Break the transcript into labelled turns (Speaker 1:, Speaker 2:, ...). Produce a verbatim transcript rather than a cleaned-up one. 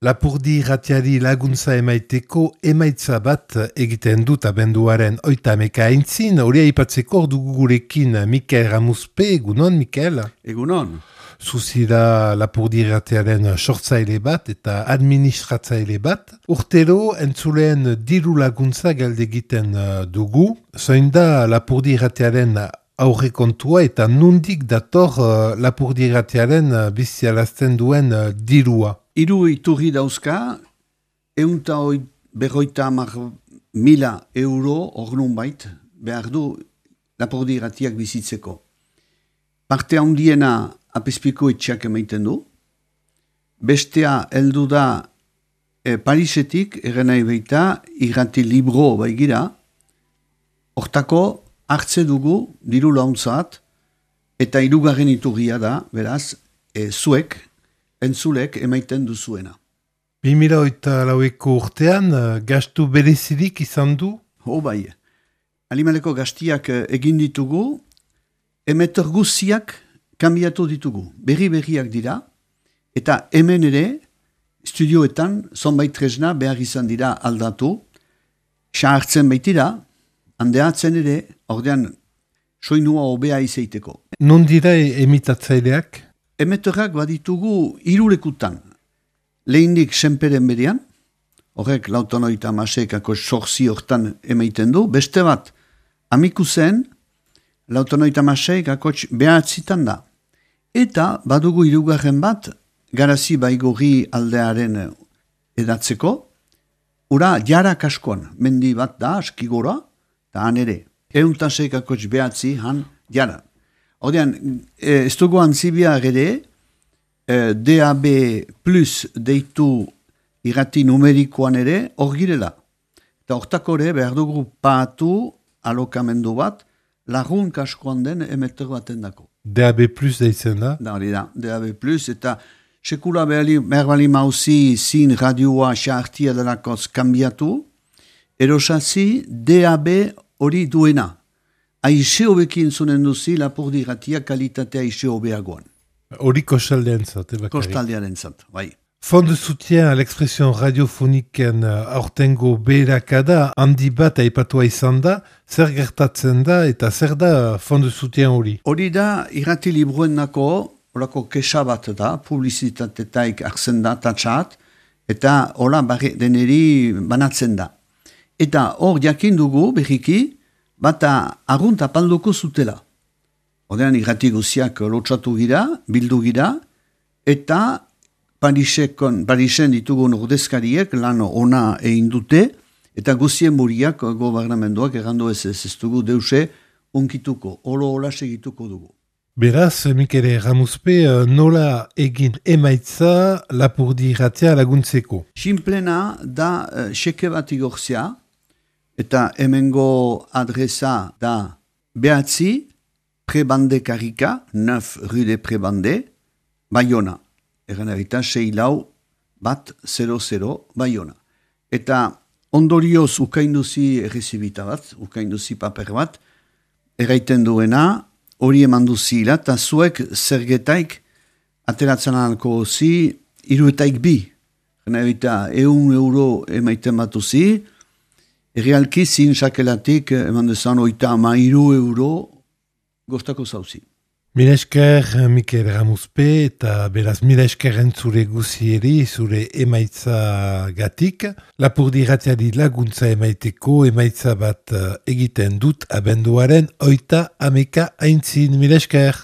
Speaker 1: Lapurdi irratiari laguntza emaiteko emaitza bat egiten dut abenduaren oita hameka aintzin, hori aipatzeko dugu gurekin Mikel Ramuzpe, egunon, Mikel?
Speaker 2: Egunon.
Speaker 1: Zuzira Lapurdi irratiaren sortzaile bat eta administratzaile bat. Urtero entzuleen diru laguntza galdegiten dugu. Zoin da Lapurdi irratiaren aurrekontua eta nundik dator Lapurdi irratiaren bizialazten duen dirua.
Speaker 2: Hiru iturri dauzka, eunta berroita hamar mila euro ornun bait, behar du Lapurdi irratiak bizitzeko. Parte handiena apezpiko etxeak emaiten du, bestea heldu da e, Parisetik, errenai baita, irrati libro baigira, hortako hartze dugu diru launtzat, eta hirugarren iturria da, beraz, e, zuek, entzulek emaiten duzuena.
Speaker 1: bi mila hogeita laueko urtean, gastu berezirik izan du?
Speaker 2: Ho bai, animaleko gastiak egin ditugu, emeter guziak kanbiatu ditugu. Berri-berriak dira, eta hemen ere, studioetan, zonbait tresna behar izan dira aldatu, sahartzen baitira, handeatzen ere, ordean, soinua hobea izaiteko.
Speaker 1: Non dira emitatzaileak?
Speaker 2: Emeterrak baditugu irulekutan. Lehindik senperen berian, horrek lautonoita masekako sorzi hortan emaiten du, beste bat, amikuzen, lautonoita masekako behatzitan da. Eta badugu irugarren bat, garazi baigorri aldearen edatzeko, ura jara kaskoan, mendi bat da, askigora, eta han ere. Euntasekako behatzi, han jara. Odean, ez dugu antzibia ere, D A B plus deitu irrati numerikoan ere, hor girela. Eta hortako ere, behar dugu paatu alokamendu bat, lagun kaskoan den emeter baten dako.
Speaker 1: D A B plus deitzen da?
Speaker 2: Da, hori da, D A B plus, eta sekula behar bali mauzi zin radioa xaartia delakoz kanbiatu, erosatzi D A B hori duena. Aixe hobekin zunen duzi, Lapurdi irratia kalitatea aixe hobeagoan.
Speaker 1: Hori kostaldean zat, ebakari.
Speaker 2: Kostaldearen zat, bai.
Speaker 1: Fond de soutien à l'expression radiofoniken aurtengo beherakada handi bat aipatua izan da, zer gertatzen da eta zer da fond de soutien hori?
Speaker 2: Hori da, irrati libruen nako, horako kesa bat da, publizitatetaik akzen da, tatxat, eta hola deneri banatzen da. Eta hor jakin dugu, berriki, bata argunt apalduko zutela. Odean irrati guziak lotsatu gira, bildu gira, eta Parisekon, Parisen ditugun ordezkariek lan ona egin dute, eta guzien muriak gobernamenduak errandu ez ez ez dugu deuse unkituko, olo hola segituko dugu.
Speaker 1: Beraz, Mikel Ramuzpe, nola egin emaitza Lapurdi irratia laguntzeko?
Speaker 2: Sinplena da uh, xeke bat igorzea, eta hemengo adresa da behatzi, Prebande Karika, neuf rue de Prebande, Bayona. Egan erita, sei lau, bat, zero, zero, Bayona. Eta ondorioz ukainduzi errezibita bat, ukainduzi paper bat, erraiten duena, hori eman duzila, eta zuek zergetaik ateratzen alko zi, iruetaik bi. Egan erita, eun euro emaiten bat duzi, errealki zin sakelatik, eman dezan, oita ama iru euro, gostako zauzi.
Speaker 1: Mila esker, Mikel Ramuzpe, eta beraz mila esker entzure guzieri, zure emaitza gatik. Lapurdi irratiari laguntza emaiteko, emaitza bat egiten dut abenduaren oita hameka aintzin. Mila esker.